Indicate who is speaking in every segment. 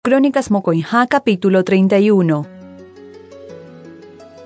Speaker 1: Crónicas mokõiha capítulo 31.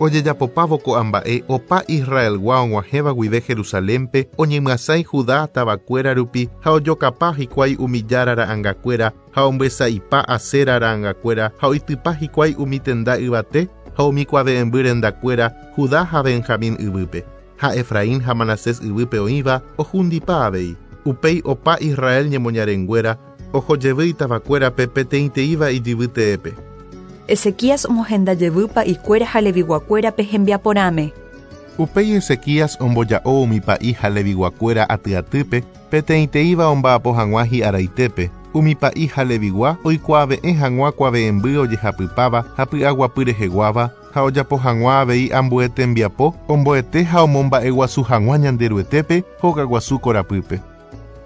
Speaker 2: Ojejapopávo ko'ã mba'e opa Israelgua og̃uahẽva guive Jerusalénpe oñemyasãi Judá tavakuéra rupi ha ojokapa hikuái umi jára ra'angakuéra ha ombyesa'ipa Asera ra'angakuéra ha oitypa hikuái umi tenda yvate ha umi kuave'ẽmby rendakuéra Judá ha Benjamín yvýpe, ha Efraín ha Manasés yvýpe oĩva ohundipa avei. Upéi opa Israel ñemoñarenguéra Oho jevy itavakuérape peteĩteĩva ijyvy teépe.
Speaker 1: Ezequías omohenda jevy pa'ikuéra ha Leviguakuérape hembiaporãme.
Speaker 2: Upéi Ezequías omboja'o umi pa'i ha Leviguakuéra aty atýpe, peteĩteĩva omba'apo hag̃ua hi'araitépe, umi pa'i ha Levigua oikuaave'ẽ hag̃ua kuave'ẽmby ojehapypáva ha py'aguapy reheguáva, ha ojapo hag̃ua avei ambue tembiapo omboete ha omomba'eguasu hag̃ua Ñanderuetépe hogaguasu korapýpe.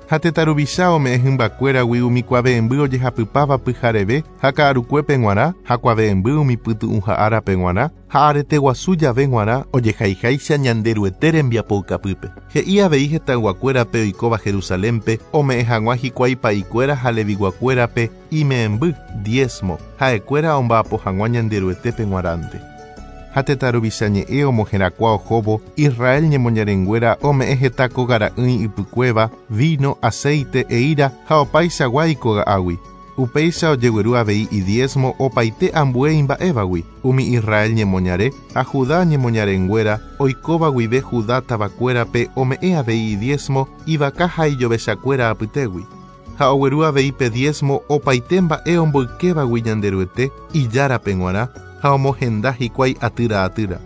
Speaker 2: Ha tetã ruvicha ome'ẽ hymbakuéragui umi kuave'ẽmby ojehapypáva pyhareve ha ka'arukuépe g̃uarã, ha kuave'ẽmby umi pytu'ũha árape g̃uarã, ha arete guasu jave g̃uarã ojehaiháicha Ñanderuete rembiapoukapýpe. He'i avei hetãyguakuérape oikóva Jerusalénpe ome'ẽ hag̃ua hikuái pa'ikuéra ha leviguakuérape ime'ẽmby, diézmo, ha'ekuéra omba'apo hag̃ua Ñanderuetépe g̃uarãnte. Ha tetã ruvicha ñe'ẽ omoherakuã ohóvo, Israel ñemoñarenguéra ome'ẽ heta kóga ra'ỹi ypykuéva, víno, aséite, eíra ha opaichagua ikoga'águi. Upéicha ojegueru avei idiésmo opaite ambue imba'évagui, umi Israel ñemoñare ha Judá ñemoñarenguéra oikóva guive Judá tavakuérape ome'ẽ avei idiésmo ivaka ha ijovechakuéra apytégui. Ha ogueru avei pe diésmo opaite mba'e omboykévagui Ñanderuete, Ijárape g̃uarã, ha omohenda hikuái atýra atýra.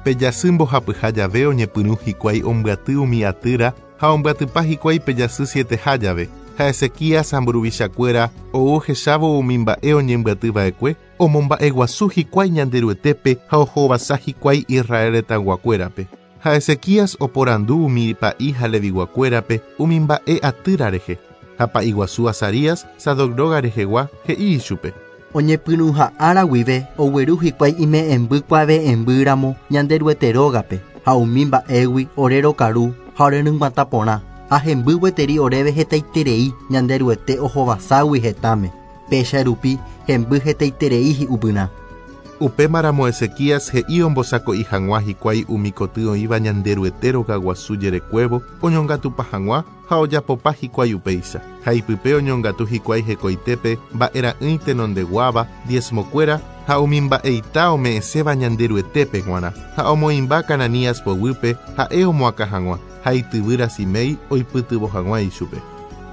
Speaker 2: Pe jasy mbohapyha jave oñepyrũ hikuái ombyaty umi atýra ha ombyatypa hikuái pe jasy sieteha jave, ha Ezequías ha mburuvichakuéra ou ohechávo umi mba'e oñembyaty va'ekue, omomba'eguasu hikuái Ñanderuetépe ha ohovasa hikuái Israel retãyguakuérape. Ha Ezequías oporandu umi pa'i ha Leviguakuérape umi mba'e atýra rehe. Ha pa'i guasu Azarías, Sadoc róga rehegua, he'i ichupe.
Speaker 3: Oñepyrũha ára guive ogueru hikuái ime'ẽmby kuave'ẽmby ramo Ñanderuete rógape, ha umi mba'égui ore rokaru ha ore ryg̃uatã porã, ha hemby gueteri oréve hetaiterei Ñanderuete ohovaságui hetãme. Péicha rupi hemby hetaiterei hi'upyrã.
Speaker 2: Upémaramo Ezequías he'i ombosako'i hag̃ua hikuái umi koty oĩva Ñanderuete rogaguasu jerekuévo oñongatupa hag̃ua ha ojapopa hikuái upéicha. Ha ipype oñongatu hikuái hekoitépe mba'era'ỹi tenondeguáva, diezmokuéra ha umi mba'eita ome'ẽséva Ñanderuetépe g̃uarã, ha omoĩmba Cananías poguýpe ha'e omoakã hag̃ua, ha ityvýra Simei oipytyvõ hag̃ua ichupe.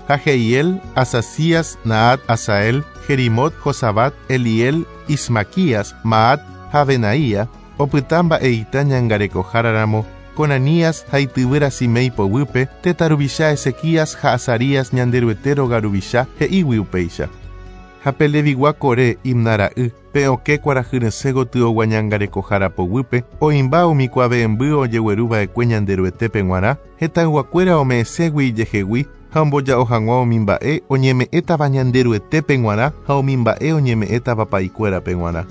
Speaker 2: Ha Jeiel, Azazías, Nahat, Asael, Jerimot, Jozabad, Eliel, Ismaquías, Mahat ha Benaía, opyta mba'eita ñangarekohára ramo, Conanías ha ityvýra Simei poguýpe, tetã ruvicha Ezequías ha Azarías Ñanderuete róga ruvicha, he'ígui upéicha. Ha pe Levigua Coré, Imna ra'y, Pe okẽ kuarahyresẽ gotyogua ñangarekohára poguýpe oĩmba umi kuave'ẽmby ojegueru va'ekue Ñanderuetépe g̃uarã, hetãyguakuéra ome'ẽségui ijehegui ha omboja'o hag̃ua umi mba'e oñeme'ẽtava Ñanderuetépe g̃uarã ha umi mba'e oñeme'ẽtava pa'ikuérape g̃uarã.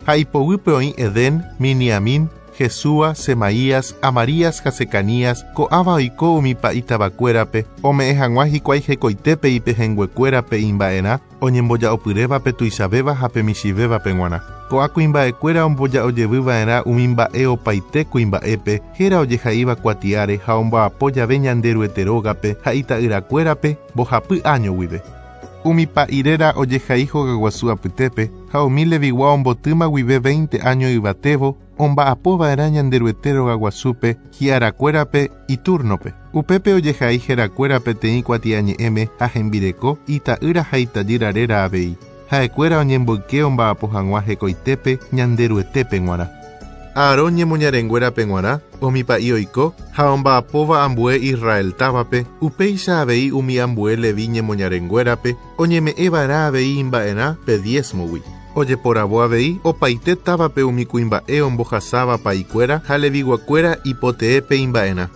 Speaker 2: Ha ipoguýpe oĩ Edén, Miniamín, Jesúa, Semaías, Amarías ha Secanías, ko'ãva oiko umi pa'i tavakuérape, ome'ẽ hag̃ua hikuái hekoitépe ipehẽnguekuérape imba'erã, oñemboja'opyréva pe tuichavéva ha pe michĩvévape g̃uarã. Ko'ã kuimba'ekuéra omboja'ojevy va'erã umi mba'e opaite kuimba'épe, héra ojehaíva kuatiáre ha omba'apo jave Ñanderuete rógape ha ita'yrakuérape mbohapy áño guive. Umi pa'i réra ojehai hogaguasu apytépe, ha umi Levigua ombotýma guive veinte áño yvatévo, omba'apo va'erã Ñanderuete rogaguasúpe hi'arakuérape itúrnope. Upépe ojehai herakuéra peteĩ kuatiañe'ẽme ha hembireko, ita'ýra ha itajýra réra avei. Ha'ekuéra oñemboyke omba'apo hag̃ua hekoitépe Ñanderuetépe g̃uarã. Aarón ñemoñarenguérape g̃uarã, umi pa'i oiko ha omba'apóva ambue Israel távape, upéicha avei umi ambue Levi ñemoñarenguérape, oñeme'ẽ va'erã avei imba'erã pe diézmogui. Ojeporavo avei opaite távape umi kuimba'e ombohasáva pa'ikuéra ha leviguakuéra ipoteépe imba'erã.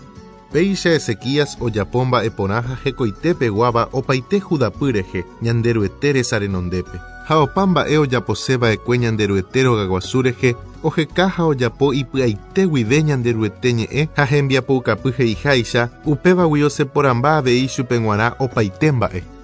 Speaker 2: Péicha Ezequías ojapo mba'e porã ha hekoite peguáva opaite Judapy rehe, Ñanderuete resa renondépe. Ha opa mba'e ojapose va'ekue Ñanderuete rogaguasu rehe, oheka ha ojapo ipy'aite guive Ñanderuete ñe'ẽ ha hembiapoukapy he'iháicha, upévagui oseporãmba avei chupe g̃uarã opaite mba'e.